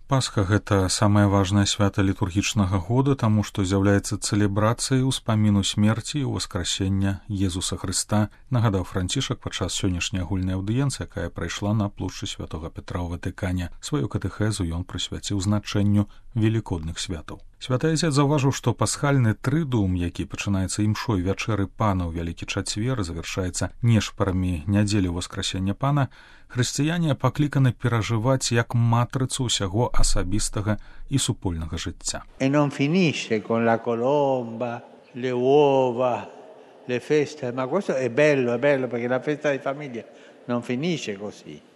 Пасха – гэта самае важнае свята літургічнага года, таму што з'яўляецца цэлебрацыяй успаміну смерці і ўваскрасення Езуса Хрыста, нагадаў Францішак падчас сённяшняй агульнай аўдыенцыі, якая прайшла на плошчы Святога Петра ў Ватыкане. Сваю катэхезу ён прысвяціў значэнню велікодных святаў. Святы Азец заўважыў, што пасхальны трыдуум, які пачынаецца імшой вячэры Пана ў Вялікі чацвер, завяршаецца нешпарамі нядзелі ўваскрасення Пана, хрысціяне пакліканы перажываць як матрыцу ўсяго асабістага і супольнага жыцця. E non finisce con la colomba, le uova, le feste, ma questo è bello perché la festa di famiglia non finisce così.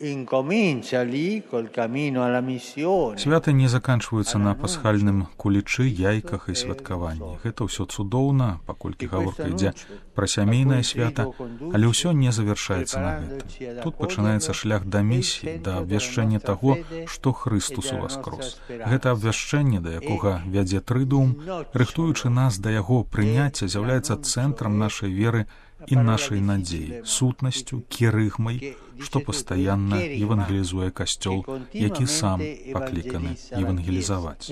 Incomincia lì col cammino alla missione. Святы не заканчваюцца на пасхальным кулічы, яйках і святкаванні. Гэта ўсё цудоўна, паколькі гаворка ідзе пра сямейнае свята, але ўсё не завяршаецца на гэтым. Тут пачынаецца шлях да місіі, да абвяшчэння таго, што Хрыстус уваскрос. Гэта абвяшчэнне, да якога вядзе трыдуум, рыхтуючы нас да яго прыняцця, з'яўляецца цэнтрам нашай веры і нашай надзеі, сутнасцю, кірыгмай, што пастаянна евангелізуе Касцёл, які сам пакліканы евангелізаваць.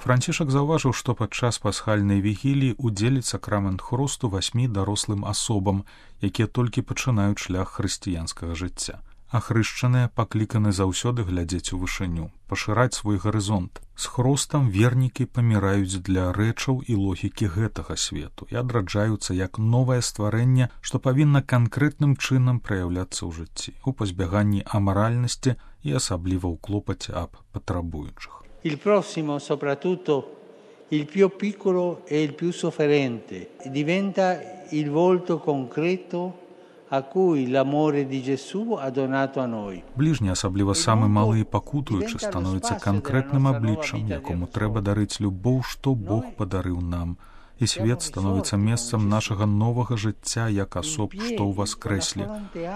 Францішак заўважыў, што падчас пасхальнай вігіліі удзеліць сакрамент хрусту 8 дарослым асобам, якія толькі пачынаюць шлях хрысціянскага жыцця. Ахрышчаныя пакліканы заўсёды глядзець у вышыню, пашыраць свой гарызонт. З хрустам вернікі паміраюць для рэчаў і логікі гэтага свету і адраджаюцца як новае стварэнне, што павінна канкрэтным чынам праяўляцца ў жыцці, у пазбяганні амаральнасці і асабліва ў клопаце аб патрабуючых. Il prossimo, soprattutto il più piccolo e il più sofferente, diventa il volto concreto a cui l'amore di Gesù ha donato a noi. Бліжні, асабліва самы малы і пакутуючы, становіцца канкрэтным абліччам, якому трэба дарыць любоў, што Бог падарыў нам. І свет становіцца месцам нашага новага жыцця як асоб, што ўваскрэслі.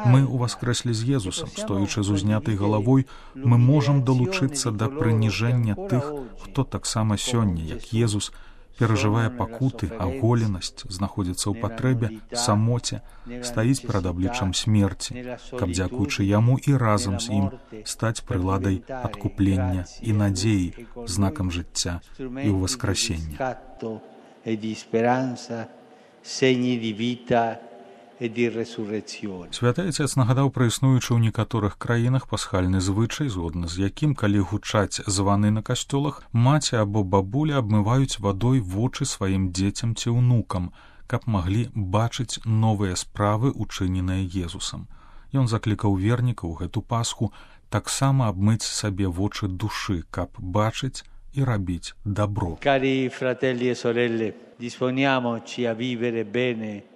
Мы ўваскрэслі з Езусам, стоячы з узнятай галавой, мы можам далучыцца да прыніжэння тых, хто таксама сёння, як Езус, перажывае пакуты, аголенасць, знаходзіцца ў патрэбе, самоце, стаіць перад абліччам смерці, каб, дзякуючы яму і разам з ім, стаць прыладай адкуплення і надзеі, знакам жыцця і ўваскрасення. Святы Айцец нагадаў пра існуючы ў некаторых краінах пасхальны звычай, згодна з якім, калі гучаць званы на касцёлах, маці або бабуля абмываюць вадой вочы сваім дзецям ці ўнукам, каб маглі бачыць новыя справы, учыненыя Езусам. Ён заклікаў вернікаў гэту Пасху таксама абмыць сабе вочы душы, каб бачыць і рабіць дабро. Cari fratelli e sorelle, disponiamoci a vivere bene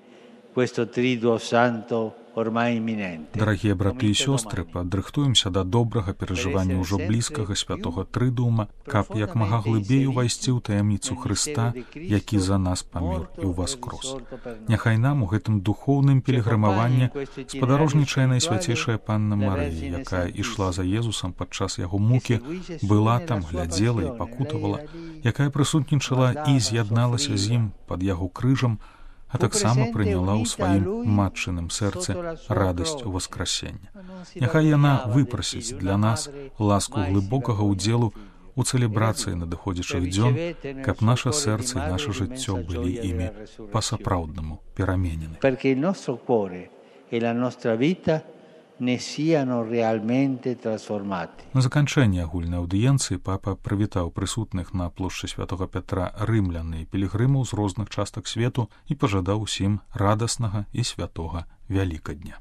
questo triduo santo ormai imminente. Дарагія браты і сёстры, падрыхтуемся да добрага перажывання ўжо блізкага святога трыдуума, каб як мага глыбей увайсці ў таямніцу Хрыста, які за нас памёр і ўваскрос. Няхай нам у гэтым духоўным пілігрымаванні спадарожнічае Найсвяцейшая Панна Марыя, якая ішла за Езусам падчас яго мукі, была там, глядзела і пакутавала, якая прысутнічала і з'ядналася з ім пад яго крыжам, а таксама прыняла ў сваім матчыным сэрцы радасць уваскрасення. Няхай яна выпрасіць для нас ласку глыбокага ўдзелу у цэлебрацыі надыходзячых дзён, каб наша сэрца і наша жыццё былі імі па-сапраўднаму пераменены. Perché il nostro cuore e la nostra vita ne siano realmente trasformati. На заканчэнне агульнай аўдыенцыі папа прывітаў прысутных на плошчы Святога Петра рымлян і пілігрымаў з розных частак свету і пажадаў усім радаснага і святога Вялікадня.